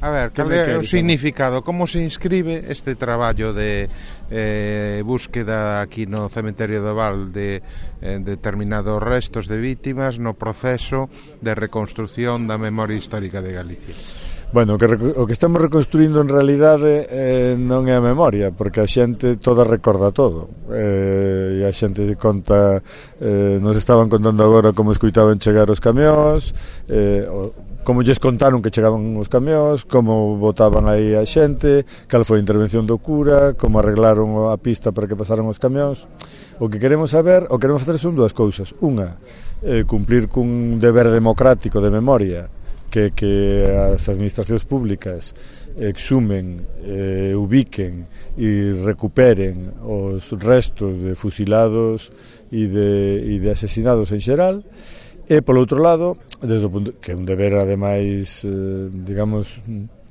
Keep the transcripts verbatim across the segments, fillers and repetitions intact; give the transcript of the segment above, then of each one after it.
A ver, cal é o significado, como se inscribe este traballo de eh, búsqueda aquí no Cementerio do Val de eh, determinados restos de vítimas no proceso de reconstrución da memoria histórica de Galicia? Bueno, o que, o que estamos reconstruindo en realidade eh, non é a memoria, porque a xente toda recorda todo, eh, e a xente conta, eh, nos estaban contando agora como escuitaban chegar os camións, eh, o, como lles contaron que chegaban os camións, como botaban aí a xente, cal foi a intervención do cura, como arreglaron a pista para que pasaran os camións. O que queremos saber, o que queremos facer son dúas cousas. Unha, eh, cumplir cun deber democrático de memoria, que, que as administracións públicas exhumen, eh, ubiquen e recuperen os restos de fusilados e de, e de asesinados en xeral. E, polo outro lado, desde o punto, que é un deber, ademais, eh, digamos,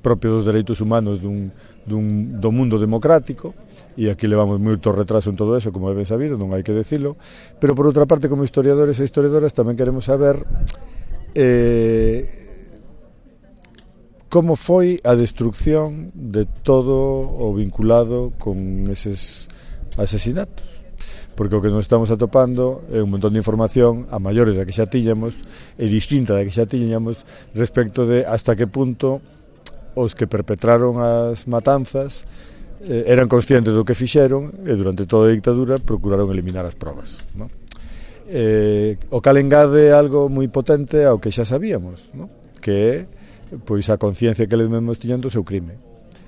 propio dos dereitos humanos dun, dun, do mundo democrático, e aquí levamos moito retraso en todo eso, como é ben sabido, non hai que decilo, pero, por outra parte, como historiadores e historiadoras, tamén queremos saber eh, como foi a destrucción de todo o vinculado con eses asesinatos. Porque o que nos estamos atopando é un montón de información a maiores da que xa tiñamos e distinta da que xa tiñamos respecto de hasta que punto os que perpetraron as matanzas eh, eran conscientes do que fixeron e durante toda a dictadura procuraron eliminar as probas, ¿no? Eh, o cal engade algo moi potente ao que xa sabíamos, ¿no? Que é pois a conciencia que eles mesmos tiñan do seu crime,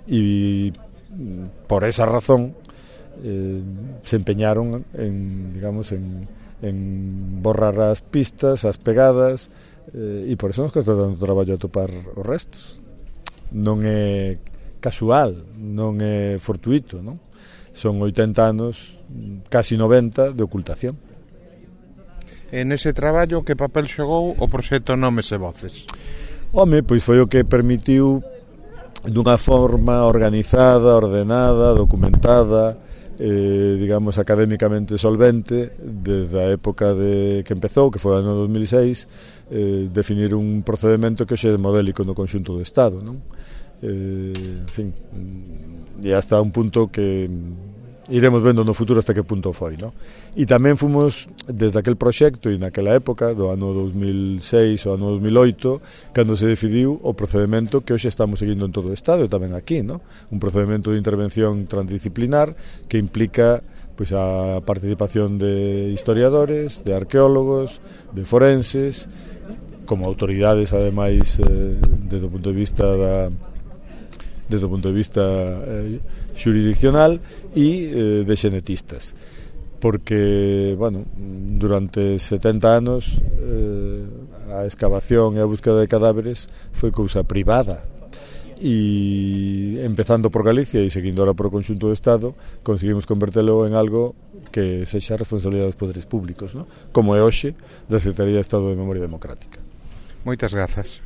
e por esa razón Eh, se empeñaron en, digamos, en, en borrar as pistas, as pegadas, eh, e por eso nos está dando traballo a topar os restos. Non é casual, non é fortuito, non? Son oitenta anos, casi noventa, de ocultación. En ese traballo, que papel xogou o proxecto Nomes e Voces? Home, pois foi o que permitiu dunha forma organizada, ordenada, documentada, Eh, digamos, académicamente solvente, desde a época de que empezou, que foi o ano dos mil seis, eh, definir un procedimento que hoxe é modélico no conxunto do Estado, non? Eh, en fin, e hasta un punto que iremos vendo no futuro hasta que punto foi, non? E tamén fomos, desde aquel proxecto e naquela época, do ano dos mil seis ou ano dos mil oito, cando se decidiu o procedimento que hoxe estamos seguindo en todo o Estado e tamén aquí, non? Un procedimento de intervención transdisciplinar que implica pois a participación de historiadores, de arqueólogos, de forenses, como autoridades, ademais, eh, desde o punto de vista da desde o punto de vista eh, xurisdiccional e eh, de xenetistas, porque, bueno, durante setenta anos eh, a excavación e a búsqueda de cadáveres foi cousa privada, e empezando por Galicia e seguindo ahora por o conxunto do Estado, conseguimos convertelo en algo que sexa responsabilidade dos poderes públicos, ¿no? Como é hoxe da Secretaría de Estado de Memoria Democrática. Moitas grazas.